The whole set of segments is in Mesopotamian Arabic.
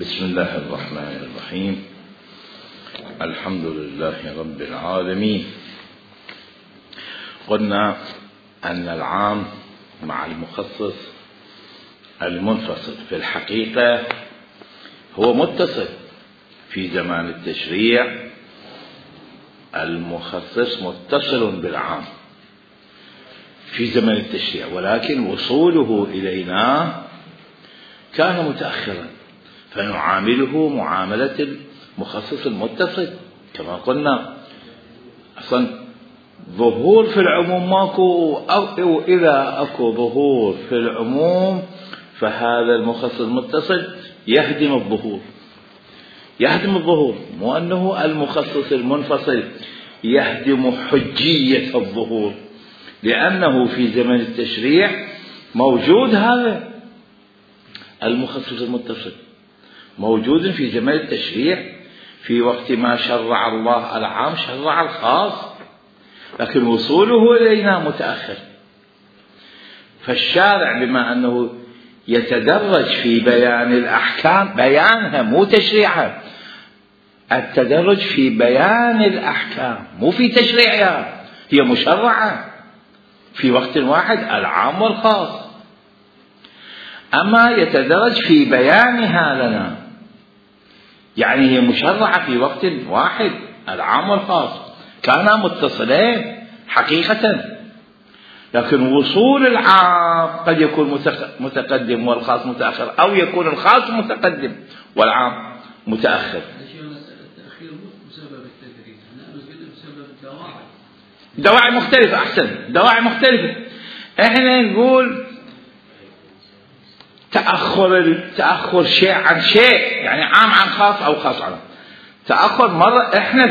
بسم الله الرحمن الرحيم. الحمد لله رب العالمين. قلنا أن العام مع المخصص المنفصل في الحقيقة هو متصل. في زمان التشريع المخصص متصل بالعام في زمن التشريع، ولكن وصوله إلينا كان متأخرا، فنعامله معاملة المخصص المتصل. كما قلنا أصلا ظهور في العموم ماكو، أو إذا أكو ظهور في العموم فهذا المخصص المتصل يهدم الظهور، مو أنه المخصص المنفصل يهدم حجية الظهور، لأنه في زمن التشريع موجود هذا المخصص المتصل، موجود في زمن التشريع. في وقت ما شرع الله العام شرع الخاص، لكن وصوله إلينا متأخر. فالشارع بما أنه يتدرج في بيان الأحكام، بيانها مو تشريعها، التدرج في بيان الأحكام مو في تشريعها، هي مشرعة في وقت واحد العام والخاص، أما يتدرج في بيانها لنا، يعني هي مشرعة في وقت واحد العام والخاص، كانا متصلين حقيقة، لكن وصول العام قد يكون متقدم والخاص متأخر، أو يكون الخاص متقدم والعام متأخر. التأخير بسبب التدريج، بسبب دواعي مختلفة. أحسن، دواعي مختلفة. إحنا نقول تأخر شيء عن شيء، يعني عام عن خاص أو خاص عن تأخر. مرة إحنا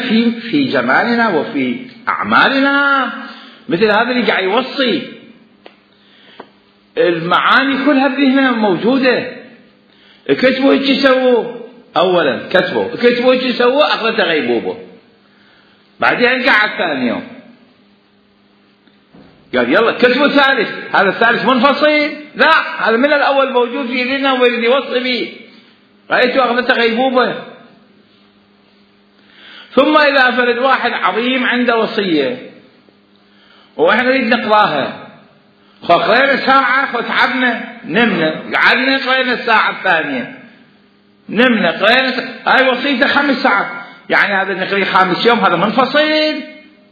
في زماننا وفي أعمالنا مثل هذا اللي قاعد يوصي المعاني كلها بذهننا موجودة. كتبوا هيك يسووا، أولا كتبوا هيك يسووا، أخذت غيبوبة، بعدين قعد ثاني يوم قال يلا كتبوا ثالث، هذا الثالث منفصل، لا هذا من الأول موجود في ذهننا واللي يوصي به، رأيته أخذت غيبوبة. ثم إذا فرد واحد عظيم عنده وصية وإحنا نريد نقراها، قرينا ساعة تعبنا نمنا، قعدنا قرينا الساعة الثانية نمنا، قرينا هاي وصيته 5 ساعات، يعني هذا نقري 5 يوم، هذا منفصل؟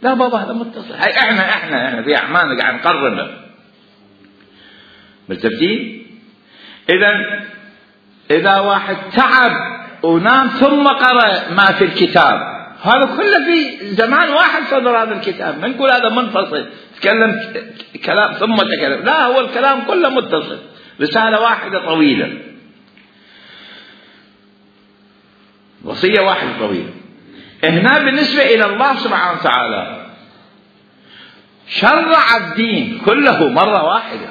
لا بابا هذا متصل. هاي احنا في اعمالنا قاعد نقرر بالترتيب. اذا واحد تعب ونام ثم قرأ ما في الكتاب، هذا كله في زمان واحد صدر هذا الكتاب، ما نقول هذا منفصل تكلم كلام ثم تكلم، لا هو الكلام كله متصل، رسالة واحدة طويلة، وصية واحدة طويلة. هنا بالنسبة إلى الله سبحانه وتعالى شرع الدين كله مرة واحدة،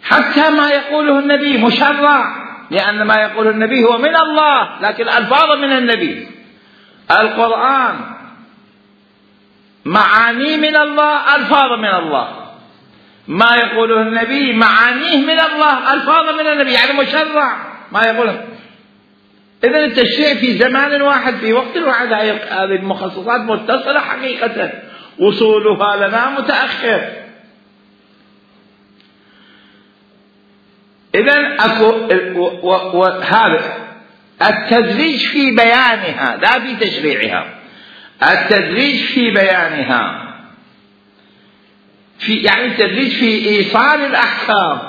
حتى ما يقوله النبي مشرع، لأن ما يقوله النبي هو من الله، لكن ألفاظ من النبي. القرآن معاني من الله، ألفاظ من الله، ما يقوله النبي معانيه من الله، ألفاظ من النبي، يعني مشرع ما يقوله. إذن التشريع في زمان واحد في وقت واحد، هذه المخصصات متصلة حقيقة، وصولها لنا متأخر. إذن هذا التدريج في بيانها لا في تشريعها، التدريج في بيانها، يعني التدريج في إيصال الأحكام.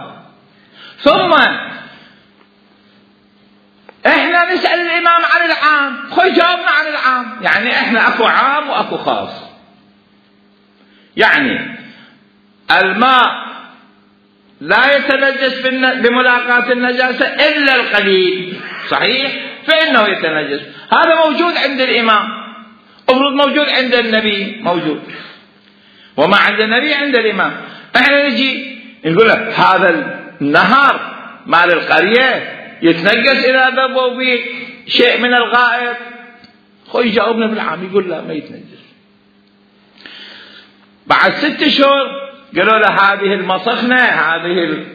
ثم احنا نسأل الإمام عن العام، جاوبنا عن العام، يعني احنا اكو عام واكو خاص. يعني الماء لا يتنجس بملاقاة النجاسة إلا القليل، صحيح؟ فإنه يتنجس، هذا موجود عند الإمام، المفروض موجود عند النبي، موجود، وما عند النبي عند الإمام. احنا نجي نقول هذا النهر مال القرية يتنجس إذا ذبوا به شيء من الغائط، يجاوبنا بالعام، يقول لا ما يتنجس. بعد 6 أشهر قالوا له هذه المصخنة، هذه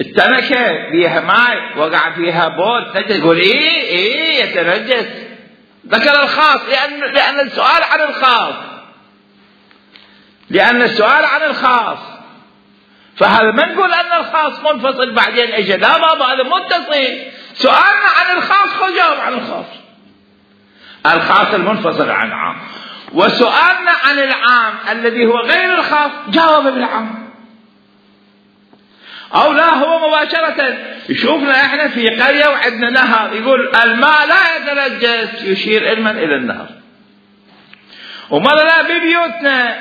التنكة فيها ماء وقع فيها بول تقول ايه يتنجس. ذكر الخاص لأن السؤال عن الخاص، لأن السؤال عن الخاص. فهذا ما نقول أن الخاص منفصل بعدين اجى، لا بابا هذا متصل. سؤالنا عن الخاص خذ جاوب عن الخاص، الخاص المنفصل عن العام. وسؤالنا عن العام الذي هو غير الخاص جاوب بالعام. أو لا هو مباشرة يشوفنا احنا في قرية وعندنا نهر يقول الماء لا يتنجس، يشير علما إلى النهر. وماذا لا ببيوتنا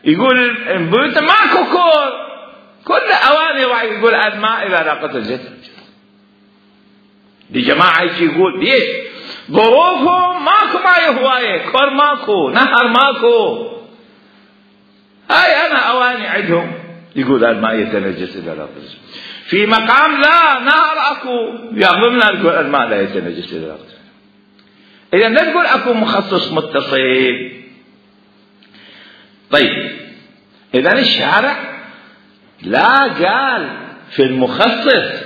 يقول بيوتنا ماكو كل أواني راح يقول الماء إذا لاقت الجسد. لجماعة يقول ليش ظروفهم ماكو ماء هواية، كور ماكو، نهر ماكو، هاي أنا أواني عندهم يقول الماء يتنجس إذا لاقت الجسد. في مقام لا نهر أكو يظلمنا يقول الماء لا يتنجس إذا لاقت الجسد. إذا لا تقول أكو مخصص متصل. طيب إذا الشارع لا قال في المخصص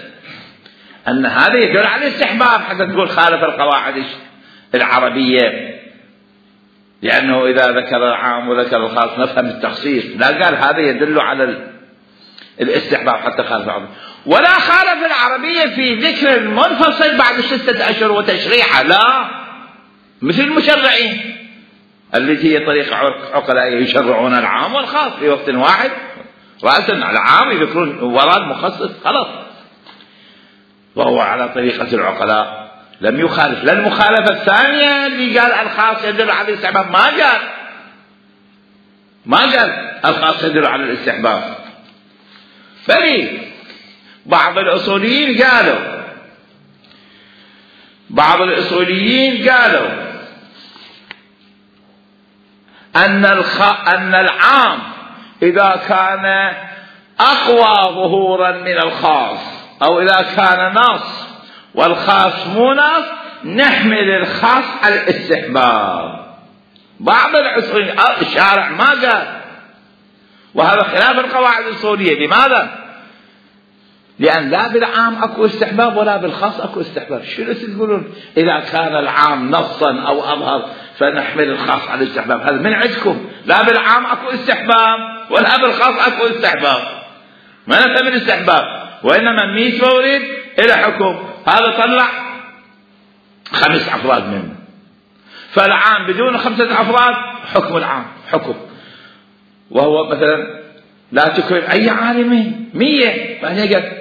أن هذا يدل على الاستحباب حتى تقول خالف القواعد العربية، لأنه إذا ذكر العام وذكر الخاص نفهم التخصيص. لا قال هذا يدل على الاستحباب حتى خالف العربية، ولا خالف العربية في ذكر المنفصل بعد 6 أشهر وتشريعه، لا مثل المشرعين التي هي طريقة عقلاء يشرعون العام والخاص في وقت واحد، رأسا العام يذكرون وراد مخصص خلاص، وهو على طريقة العقلاء لم يخالف. لا المخالفة الثانية اللي قال الخاص يدل على الاستحباب، ما قال الخاص يدل على الاستحباب. بل بعض الأصوليين قالوا أن العام إذا كان أقوى ظهورا من الخاص، أو إذا كان نص والخاص مو نص، نحمل الخاص على الاستحباب. بعض الأصوليين الشارع ما قال، وهذا خلاف القواعد الأصولية. لماذا؟ لأن لا بالعام أكو استحباب ولا بالخاص أكو استحباب. شنو تقولون إذا كان العام نصا أو أظهر فنحمل الخاص على الاستحباب؟ هذا من عندكم. لا بالعام أكو استحباب ولا بالخاص أكو استحباب، ما نفهم الاستحباب، وإنما 100 مورد إلى حكم. هذا طلع 5 أفراد منه، فالعام بدون 5 أفراد حكم العام حكم. وهو مثلا لا تكرم أي عالمين 100 ما يقدر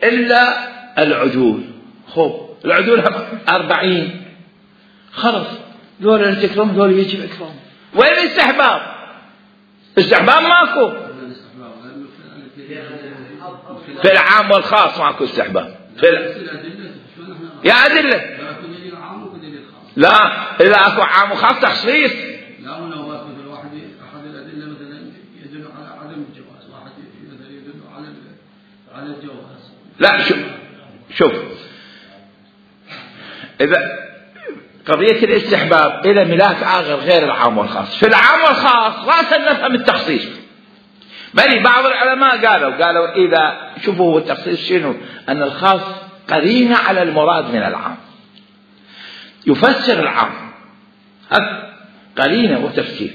إلا العدول. خب العدول 40 خلص، دول اللي تكرم دول يجب إكرام. وين الاستحباب؟ استحباب ماكو. في العام والخاص ماكو استحباب. يا أدلة لا، إذا أكو عام وخاص تخصيص. لا ولو مثل واحد أحد الأدلة مثلا يدل على عدم الجواز، واحد مثلا يدل على الجواز. لا شوف إذا قضية الاستحباب إلى ملاك آخر غير العام والخاص. في العام والخاص رأسا نفهم التخصيص. بل بعض العلماء قالوا إذا شوفوا التخصيص شنو، أن الخاص قرينة على المراد من العام، يفسر العام، هذا قرينة وتفسير.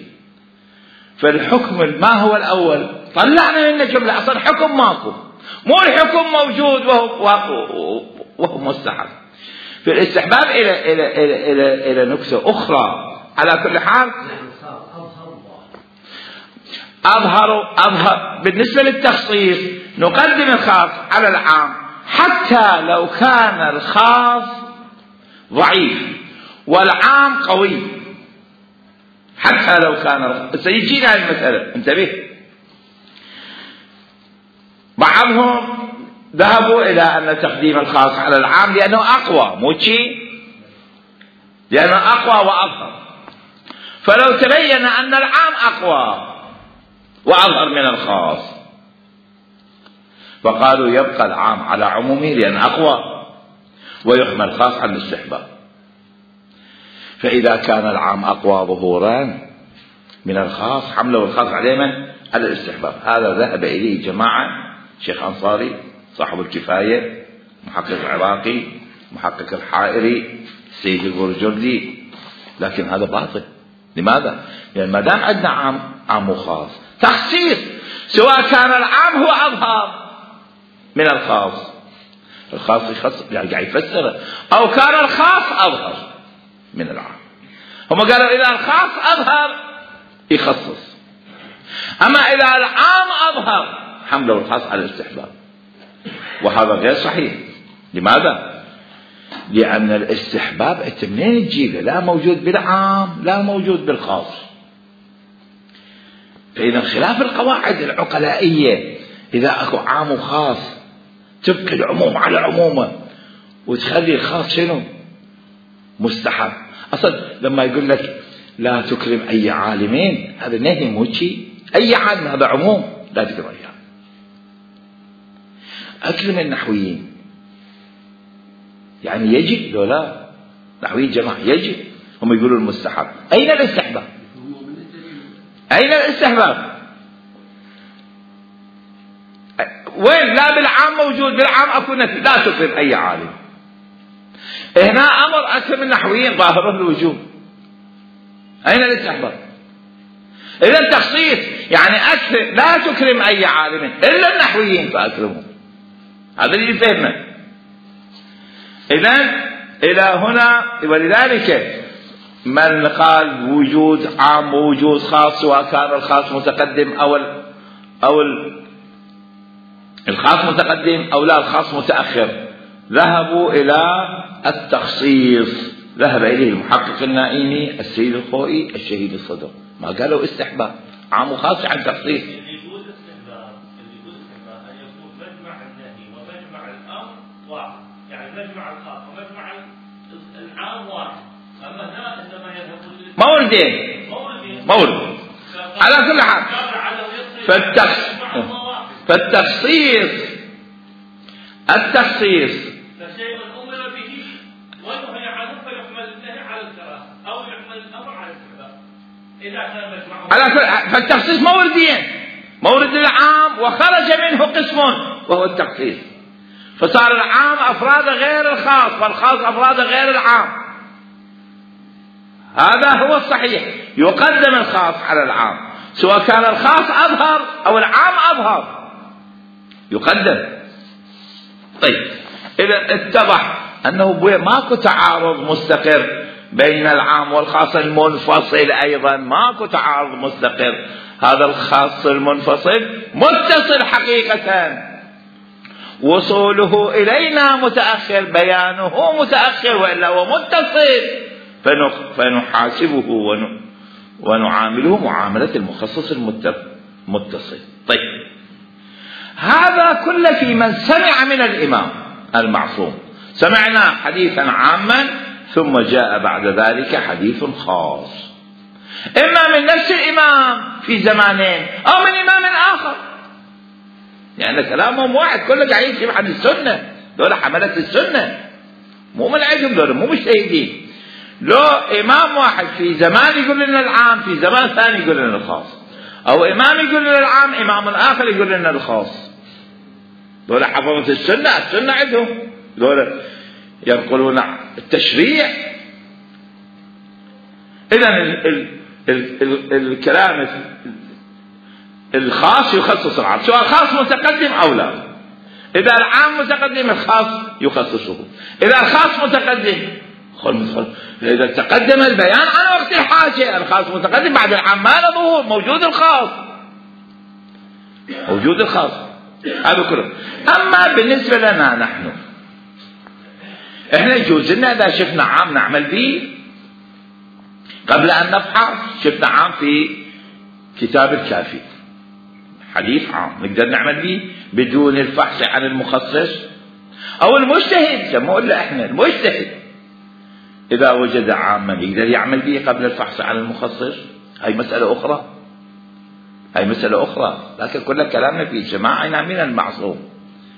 فالحكم ما هو الأول طلعنا منه جملة أصلا حكم ماكو، مو الحكم موجود وهو مستحب. في الاستحباب إلى نكتة أخرى. على كل حال أظهر بالنسبة للتخصيص نقدم الخاص على العام، حتى لو كان الخاص ضعيف والعام قوي. حتى لو كان سيجينا المسألة، انتبه. بعضهم ذهبوا إلى أن تقديم الخاص على العام لأنه أقوى، مو شيء، لأنه أقوى وأظهر. فلو تبين أن العام أقوى وأظهر من الخاص فقالوا يبقى العام على عمومه لأن أقوى، ويحمل الخاص على الاستحباب. فإذا كان العام أقوى ظهورا من الخاص حمله الخاص عليه من؟ على الاستحباب. هذا ذهب إليه جماعة شيخ أنصاري صاحب الكفاية، محقق العراقي، محقق الحائري، السيد البرجردي. لكن هذا باطل. لماذا؟ لأن ما دام عندنا عام وخاص، تخصيص سواء كان العام هو أظهر من الخاص، الخاص يخص يعني قاعد يفسره، أو كان الخاص أظهر من العام. هم قالوا إذا الخاص أظهر يخصص، أما إذا العام أظهر حمله الخاص على الاستحباب، وهذا غير صحيح. لماذا؟ لأن الاستحباب أنت منين تجيبه؟ لا موجود بالعام لا موجود بالخاص. فإذا خلاف القواعد العقلائية، إذا أكو عام وخاص تبقي العموم على عمومه وتخلي الخاص شنو؟ مستحب. أصلا لما يقول لك لا تكرم أي عالمين، هذا نهي مو شيء، أي عالم هذا عموم لا تكرم أياه. أكرم النحويين يعني يجب لو لا؟ نحوي الجماعة يجب، هم يقولوا المستحب. أين الاستحباب؟ أين الاستحباب؟ وين؟ لا بالعام موجود، بالعام أكو نفي لا تكرم أي عالم. هنا أمر أكرم النحويين ظاهره الوجوب. أين الاستحباب؟ إذا التخصيص يعني أكرم لا تكرم أي عالم إلا النحويين فأكرمهم. هذا اللي فهمه. إذن إلى هنا، ولذلك من قال وجود عام ووجود خاص، سواء كان الخاص متقدم أو الخاص متقدم أو لا الخاص متأخر، ذهبوا إلى التخصيص. ذهب إليه المحقق النائمي، السيد الخوئي، الشهيد الصدر. ما قالوا استحباب، عام وخاص عن تخصيص. اللي يقول استحباب أن يكون مجمع النهي ومجمع الأمر واحد، يعني مجمع الخاص ومجمع العام واحد. أما هنا عندما يذهبون مورد على كل حال. التخصيص فشيء أمر به ونهي عنه فيحمل النهي على الكراهة أو يحمل الأمر على الاستحباب إذا كان مجمعه على كل. فالتخصيص موردين، مورد العام وخرج منه قسم وهو التخصيص، فصار العام أفراد غير الخاص والخاص أفراد غير العام. هذا هو الصحيح، يقدم الخاص على العام، سواء كان الخاص أظهر أو العام أظهر يقدم. طيب إذا اتضح أنه ماكو تعارض مستقر بين العام والخاص المنفصل، أيضا ماكو تعارض مستقر. هذا الخاص المنفصل متصل حقيقة، وصوله إلينا متأخر، بيانه متأخر، وإلا هو متصل، فنحاسبه ونعامله معاملة المخصص المتصل. طيب هذا كله في من سمع من الإمام المعصوم. سمعنا حديثا عاما ثم جاء بعد ذلك حديث خاص، إما من نفس الإمام في زمانين أو من إمام آخر، يعني كلامهم واحد، كله قاعد يمشي عن السنة. دول حملة السنة، مو من عندهم، دول مو مجتهدين. لو إمام واحد في زمان يقول لنا العام، في زمان ثاني يقول لنا الخاص، أو إمام يقول لنا العام، إمام آخر يقول لنا الخاص. دول حفظة السنة، السنة عندهم، دول ينقلون التشريع. إذن الكلام الخاص يخصص العام، سواء الخاص متقدم أو لا. إذا العام متقدم الخاص يخصصه، إذا الخاص متقدم إذا تقدم البيان عن وقت الحاجة، الخاص متقدم، بعد العام ما له ظهور، موجود الخاص، موجود الخاص، هذا كله. أما بالنسبة لنا نحن، إحنا يجوز لنا إذا شفنا عام نعمل به قبل أن نفحص. شفنا عام في كتاب الكافي، حديث عام نقدر نعمل به بدون الفحص عن المخصص أو المجتهد. سموه إلا إحنا المجتهد إذا وجد عاما يقدر يعمل به قبل الفحص عن المخصص. هاي مسألة أخرى، هاي مسألة أخرى. لكن كل كلامنا في جماعنا من المعصوم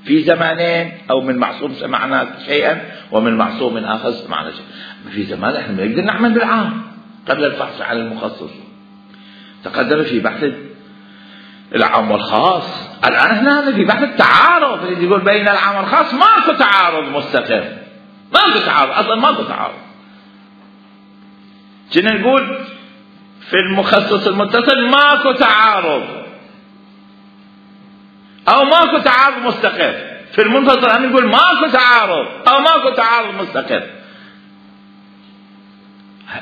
في زمانين، أو من معصوم سمعنا شيئا ومن معصوم آخر سمعنا شيئا. في زمان احنا نقدر نعمل بالعام قبل الفحص عن المخصص. تقدم في بحث العام والخاص الآن هنا في بحث التعارض، يقول بين العام والخاص ماكو تعارض مستقر، ماكو تعارض أصلا، ماكو تعارض. كنا نقول في المخصص المتصل ماكو تعارض أو ماكو تعارض مستقر، في المنفصل هم نقول ماكو تعارض أو ماكو تعارض مستقر.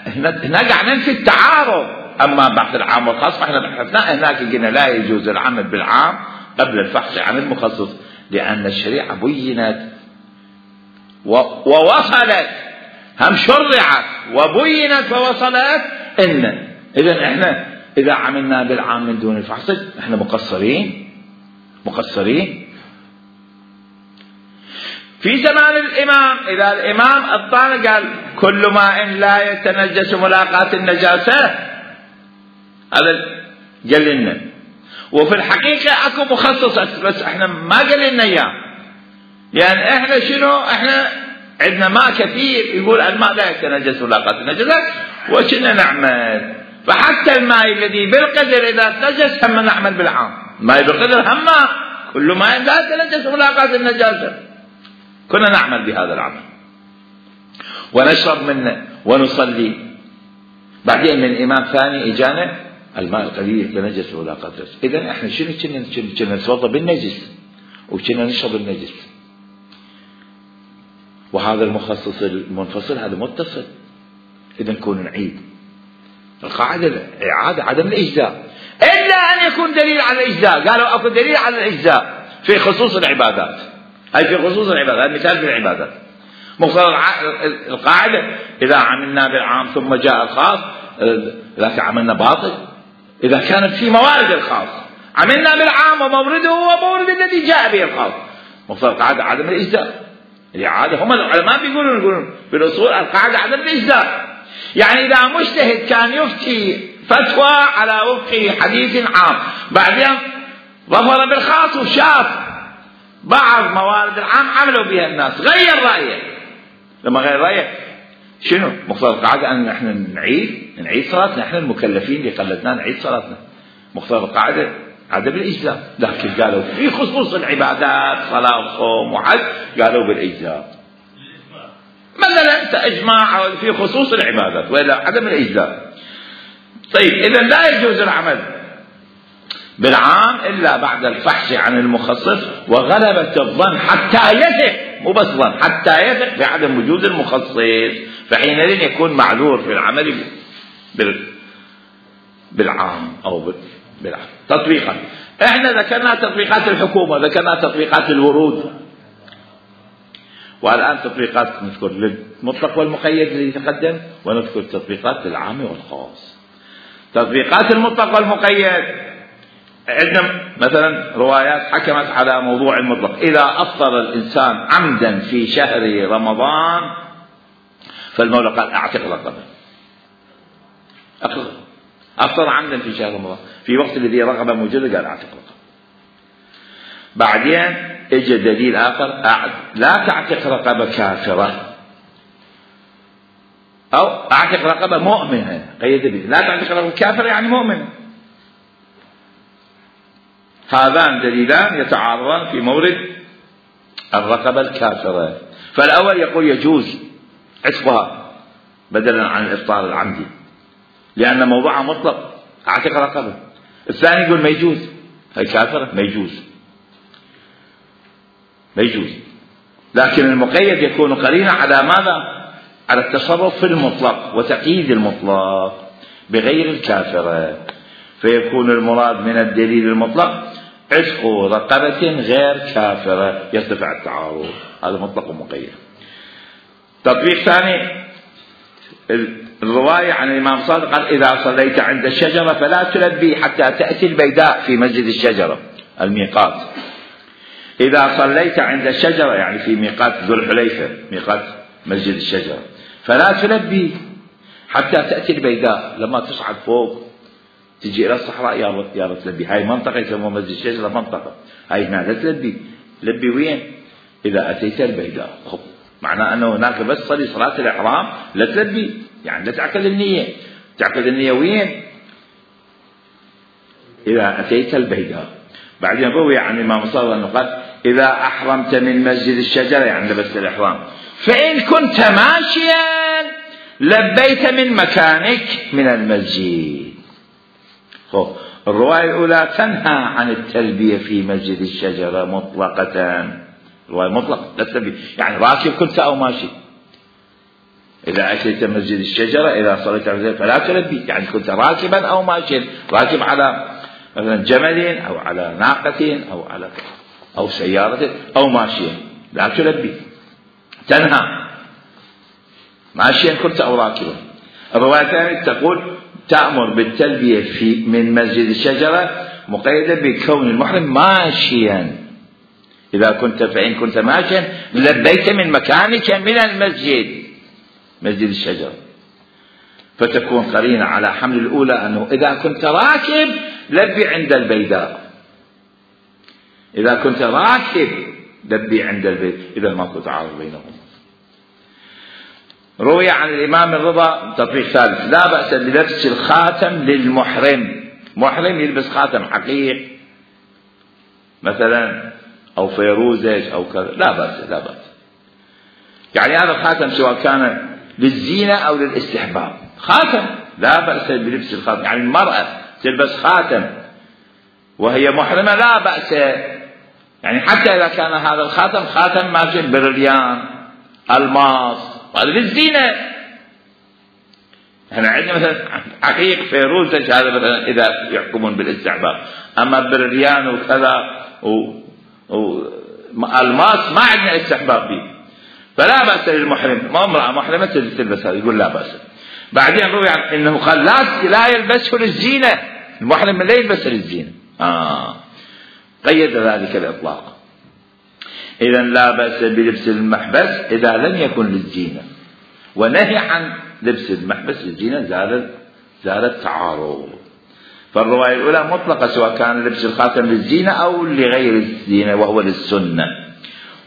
هنا قاعد ننفي التعارض. أما بحث العام والخاص فإحنا بحثنا هناك قلنا لا يجوز العمل بالعام قبل الفحص عن المخصص، لأن الشريعة بينت ووصلت، هم شرعت وبينت ووصلت إن إذا إحنا إذا عملنا بالعام من دون الفحص إحنا مقصرين. في زمان الإمام إذا الإمام الطالب قال كل ماء لا يتنجس ملاقاة النجاسة، هذا قال لنا. وفي الحقيقة أكو مخصص بس إحنا ما قال لنا إياه، يعني إحنا شنو؟ إحنا عندنا ماء كثير يقول الماء لا يتنجس ملاقاة النجاسة وكنا نعمل. فحتى الماء الذي بالقدر إذا تنجس هم نعمل بالعام، ماء بالقدر هم كل ماء لا يتنجس ملاقاة النجاسة كنا نعمل بهذا العمل ونشرب منه ونصلي. بعدين من إمام ثاني إجانا الماء القليل يتنجس ملاقاة النجاسة. إذن إحنا شنو كنا نتوضأ بالنجس وكنا نشرب النجس، وهذا المخصص المنفصل هذا متصل. إذن نكون نعيد القاعدة الإعادة عدم الإجزاء إلا أن يكون دليل على الإجزاء. قالوا أكو دليل على الإجزاء في خصوص العبادات، أي في خصوص العبادات، هذا مثال في العبادات. مقتضى القاعدة إذا عملنا بالعام ثم جاء الخاص ذاك عملنا باطل. إذا كانت في موارد الخاص عملنا بالعام ومورده هو مورد الذي جاء به الخاص، مقتضى القاعدة عدم الإجزاء. الإعادة هم العلماء بيقولون بالأصول القاعدة عدم الإجزاء. يعني إذا مجتهد كان يفتي فتوى على وفق حديث عام، بعدين ظفر بالخاص وشاف بعض موارد العام عملوا بها الناس، غير رأيه. لما غير رأيه شنو مقتضى القاعدة؟ أن نحن نعيد صلاتنا، نحن المكلفين اللي قلدنا نعيد صلاتنا. مقتضى القاعدة عدم الإجزاء. لكن قالوا في خصوص العبادات صلاة وصوم وحج قالوا بالإجزاء، مثلا إجماع في خصوص العبادات وإلا عدم الإجزاء. طيب إذا لا يجوز العمل بالعام إلا بعد الفحص عن المخصص وغلبة الظن حتى يثق، مو بس ظن، حتى يثق بعدم وجود المخصص، فحينئذ يكون معذور في العمل بالعام أو بالعام. تطبيقا احنا ذكرنا تطبيقات الحكومة، ذكرنا تطبيقات الورود، والآن تطبيقات نذكر للمطلق والمقيد الذي تقدم، ونذكر تطبيقات للعام والخاص. تطبيقات المطلق والمقيد عندنا مثلا روايات حكمت على موضوع المطلق. إذا أفطر الإنسان عمدا في شهر رمضان فالمولى قال أعتق رقبة. أفطر عمدا في شهر رمضان في وقت الذي رغبة موجودة قال أعتق رقبة. بعدين اجى دليل آخر لا تعتق رقبة كافرة أو أعتق رقبة مؤمنة، قيد به لا تعتق رقبة كافرة يعني مؤمنة. هذان دليلان يتعارضان في مورد الرقبة الكافرة. فالأول يقول يجوز عتقها بدلا عن الإفطار العمدي لأن موضوعها مطلق أعتق رقبة. الثاني يقول ما يجوز، هي كافرة ما يجوز. لكن المقيد يكون قرينا على ماذا؟ على التصرف في المطلق وتقييد المطلق بغير الكافرة، فيكون المراد من الدليل المطلق عتق رقبة غير كافرة، يرتفع التعارض. هذا مطلق ومقيد. تطبيق ثاني الرواية عن الإمام صادق قال إذا صليت عند الشجرة فلا تلبي حتى تأتي البيداء في مسجد الشجرة الميقات. إذا صليت عند الشجرة يعني في ميقات ذو الحليفة ميقات مسجد الشجرة فلا تلبي حتى تأتي البيداء. لما تصعد فوق تجي إلى الصحراء يا تلبي. هاي منطقة يسموها مسجد الشجرة منطقة، هاي هنا لا تلبي. لبي وين؟ إذا أتيت البيداء. معناه أنه هناك بس صلي صلاة الإحرام لا تلبي، يعني لا تعقد النية. تعقد النية وين؟ إذا أتيت البيداء. بعدين روي عن الإمام الصادق أنه قال إذا أحرمت من مسجد الشجرة يعني لبست الإحرام فإن كنت ماشيا لبيت من مكانك من المسجد. الرواية الأولى تنهى عن التلبية في مسجد الشجرة مطلقة، الرواية مطلقة لا تلبية، يعني راكب كنت أو ماشي. إذا أتيت مسجد الشجرة إذا صليت على فلا تلبي، يعني كنت راكبا أو ماشيا، راكب على مثلا جمل أو على ناقة أو سيارة أو ماشيا لا تلبي، تنهى ماشيا كنت أو راكبا. الرواية الثانية تقول تأمر بالتلبية من مسجد الشجرة مقيدة بكون المحرم ماشيا، إذا كنت فإن كنت ماشيا لبيت من مكانك من المسجد مسجد الشجرة، فتكون قرينة على حمل الأولى أنه إذا كنت راكب لبي عند البيداء، إذا كنت راكب لبي عند البيت، إذا ماكو تعارض بينهم. روي عن الإمام الرضا تطبيق ثالث لا بأس بلبس الخاتم للمحرم، محرم يلبس خاتم حقيق مثلا أو فيروزج أو كذا لا بأس، لا بأس. يعني هذا الخاتم سواء كان للزينة أو للاستحباب خاتم لا بأس بلبس الخاتم، يعني المرأة تلبس خاتم وهي محرمة لا بأس، يعني حتى إذا كان هذا الخاتم خاتم ماشي برليان الماس هذا للزينة. احنا عندنا مثلا حقيق فيروزج هذا مثلا إذا يحكمون بالاستحباب، أما برليان وكذا والماس ما عندنا استحباب به، فلا بأس للمحرم، ما امرأة محرمة تلبس هذا يقول لا بأس. بعدين روي انه قال لا يلبسه للزينة، المحرم لا يلبسه للزينة، قيد ذلك الإطلاق. إذا لا بأس بلبس المحبس إذا لم يكن للزينة، ونهي عن لبس المحبس للزينة زال التعارض. فالرواية الأولى مطلقة سواء كان لبس الخاتم للزينة أو لغير الزينة وهو للسنة،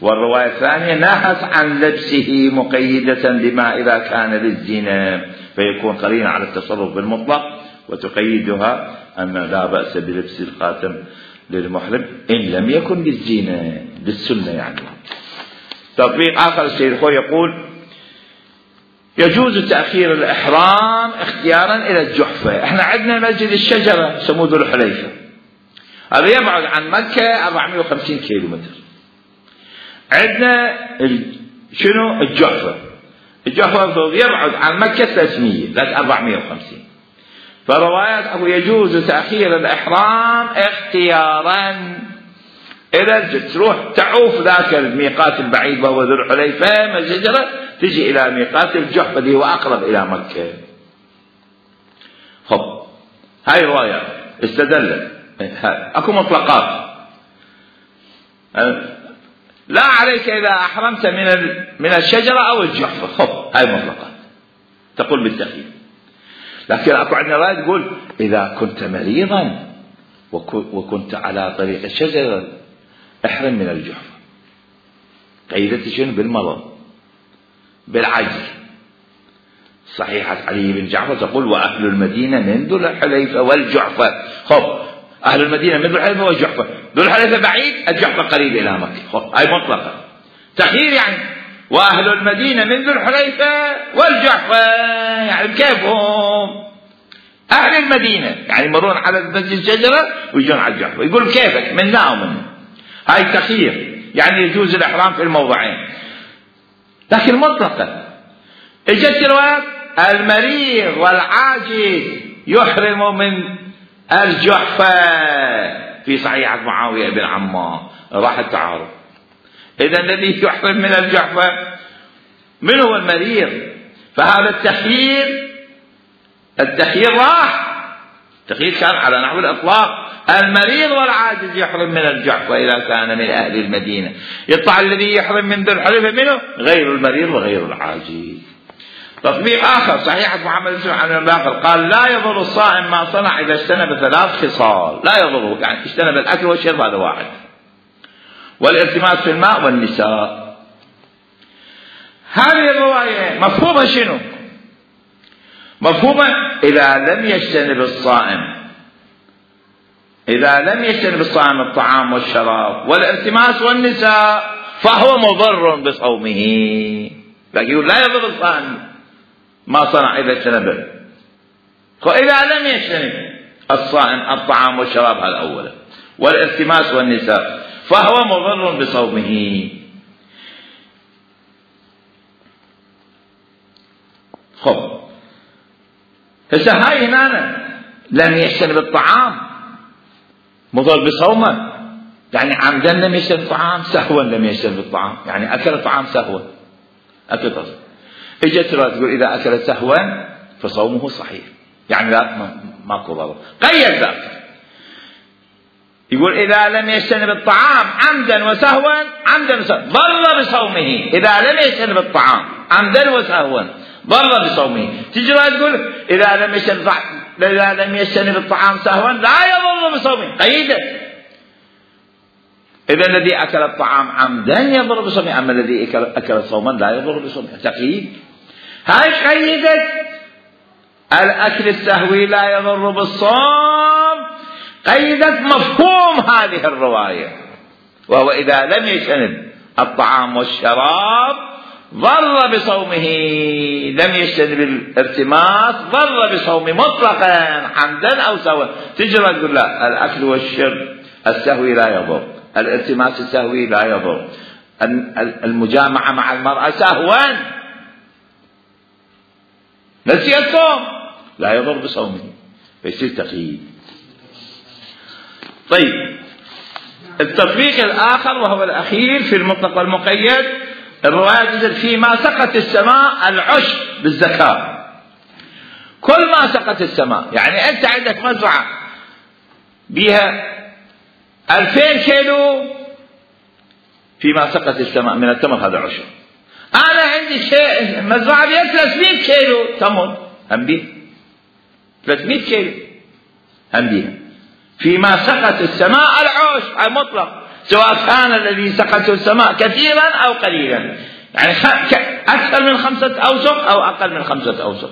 والرواية الثانية نهت عن لبسه مقيدة بما إذا كان للزينة، فيكون قرينة على التصرف بالمطلق، وتقيدها أن لا بأس بلبس الخاتم للمحرم إن لم يكن للزينة للسنة. يعني تطبيق آخر السيد الخوي يقول يجوز تأخير الإحرام اختيارا إلى الجحفة. احنا عندنا مسجد الشجرة يسموه ذو الحليفة، هذا يبعد عن مكة 450 كيلومتر. عندنا شنو الجحفة يبعد عن مكة 300 لا 450. فروايات أبو يجوز تأخير الإحرام اختيارا إذا تروح تعوف ذاك الميقات البعيد وهو ذو الحليفة من الشجرة تجي إلى ميقات الجحفة اللي هو أقرب إلى مكة. هاي رواية استدلت، أكو مطلقات لا عليك إذا أحرمت من الشجرة أو الجحفة، هاي مطلقات تقول بالتخيير. لكن أكو عندنا رواية تقول إذا كنت مريضا وكنت على طريق الشجرة احرم من الجحفة. قيدت شنو؟ بالمرض بالعجز. صحيحة علي بن جعفر تقول وأهل المدينة من ذو الحليفة والجحفة. أهل المدينة من ذو الحليفة والجحفة، ذو الحليفة بعيد الجحفة قريب إلى مكة، هاي مطلقة تخيير. يعني وأهل المدينة من ذو الحليفة والجحفة، يعني بكيفهم أهل المدينة، يعني يمرون على مسجد الشجرة ويجون على الجحفة، يقول كيفك منا ومنا. هاي تخيير، يعني يجوز الإحرام في الموضعين لكن مطلقة. اجت روايات المريض والعاجز يحرم من الجحفة في صحيحة معاوية بن عمار، راح التعارض. إذا الذي يحرم من الجحفة من هو المريض؟ فهذا التخيير راح، التخيير كان على نحو الإطلاق، المريض والعاجز يحرم من الجحفة إذا كان من أهل المدينة. يطلع الذي يحرم من ذو الحليفة منه غير المريض وغير العاجز. تطبيق آخر صحيحة محمد بن عن الباقر قال لا يضر الصائم ما صنع إذا اجتنب 3 خصال، لا يضره، يعني اجتنب الأكل والشرب هذا واحد، والالتماس في الماء والنساء. هذه الرواية مفهومها شنو؟ مفهومها إذا لم يجتنب الصائم إذا لم يجتنب الصائم الطعام والشراب والالتماس والنساء فهو مضر بصومه. لكن يقول لا يضر الصائم ما صنع إذا اجتنبه. وإذا لم يجتنب الصائم الطعام والشراب هذا أولا والالتماس والنساء فهو مضر بصومه. خب هسه هاي هنا لم يجتنب الطعام مضر بصومه، يعني عمدا لم يجتنب الطعام، سهوا لم يجتنب الطعام، يعني أكل الطعام سهوا أكل تصل. اجت تقول إذا أكل سهوا فصومه صحيح، يعني لا ماكو ضرر. قيد ذلك يقول إذا لم يجتنب الطعام عمدا وسهوا ضر بصومه. إذا لم يجتنب الطعام عمدا وسهوا ضر بصومه. تجي تقول إذا لم يجتنب الطعام سهوا لا يضر بصومه، قيدت. إذا الذي أكل الطعام عمدا يضر بصومه، أما الذي أكل صوما لا يضر بصومه. تقييد. هاي قيدت الأكل السهوي لا يضر بالصوم، قيدت مفهوم هذه الرواية، وهو إذا لم يجتنب الطعام والشراب ضر بصومه، لم يجتنب الالتماس ضر بصومه مطلقا عمدا أو سهوا. تجرى تقول لا، الأكل والشرب السهوي لا يضر، الالتماس السهوي لا يضر، المجامعة مع المرأة سهوا نسي الصوم لا يضر بصومه، فيصير تقييد. طيب التطبيق الآخر وهو الأخير في المطلق والمقيد، الرواية تجد فيما سقت السماء العشر بالزكاة. كل ما سقت السماء، يعني أنت عندك مزرعة بها 2000 كيلو فيما سقت السماء من التمر، هذا عشر. أنا عندي شيء مزرعة بها 300 كيلو تمر، هم بيها 300 كيلو هم بيها. فيما سقت السماء العشر المطلق، سواء كان الذي سقته السماء كثيرا أو قليلا، يعني أكثر من 5 أوسق أو أقل من 5 أوسق.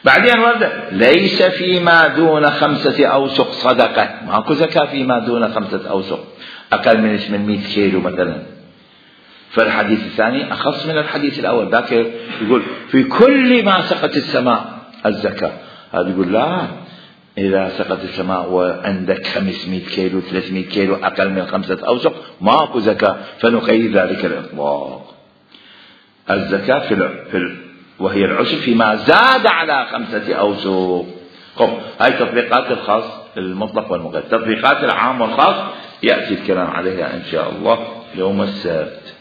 بعدين ورد ليس فيما دون 5 أوسق صدقة، ماكو زكاة فيما دون 5 أوسق، أقل من 800 كيلو مثلا. فالحديث الثاني أخص من الحديث الأول، ذاك يقول في كل ما سقت السماء الزكاة، هذا يقول لا، إذا سقط السماء وعندك 500 كيلو 300 كيلو أقل من 5 أوسق ماكو زكاة، فنقيد ذلك الإطلاق. الزكاة وهي العشر فيما زاد على 5 أوسق. هاي تطبيقات الخاص المطلق والمقيد. تطبيقات العام والخاص يأتي الكلام عليها إن شاء الله يوم السبت.